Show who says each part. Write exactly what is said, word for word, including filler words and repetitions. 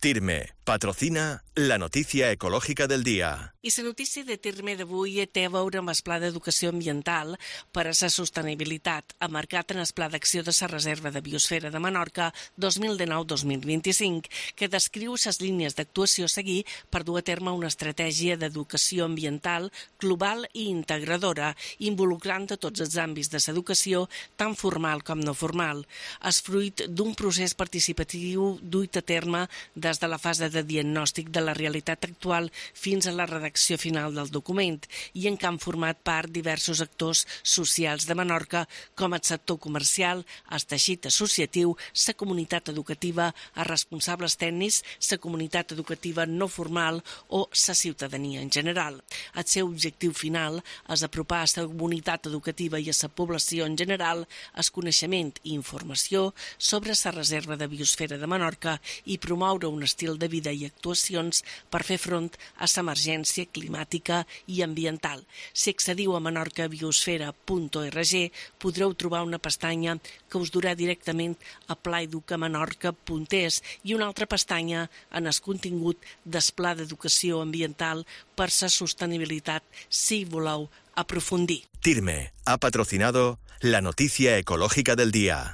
Speaker 1: Tirme patrocina la notícia ecològica del dia.
Speaker 2: I la notícia de Tirme d'avui té a veure amb el Pla d'Educació Ambiental per a la Sostenibilitat, emmarcat en el Pla d'Acció de la Reserva de Biosfera de Menorca dos mil dinou dos mil vint-i-cinc, que descriu les línies d'actuació a seguir per dur a terme una estratègia d'educació ambiental global i integradora, involucrant a tots els àmbits de l'educació, tant formal com no formal. És fruit d'un procés participatiu duit a terme des de la fase de diagnòstic de la realitat actual fins a la redacció final del document i en què han format part diversos actors socials de Menorca com el sector comercial, el teixit associatiu, la comunitat educativa, els responsables tècnics, la comunitat educativa no formal o la ciutadania en general. El seu objectiu final és apropar a la comunitat educativa i a la població en general el coneixement i informació sobre la reserva de biosfera de Menorca i promoure un estil de vida i actuacions per fer front a l'emergència climàtica i ambiental. Si accediu a menorca biosfera punt org podreu trobar una pestanya que us durà directament a plaeducamenorca punt es i una altra pestanya en el contingut del Pla d'Educació Ambiental per la Sostenibilitat si voleu aprofundir.
Speaker 1: Tirme ha patrocinado la noticia ecológica del día.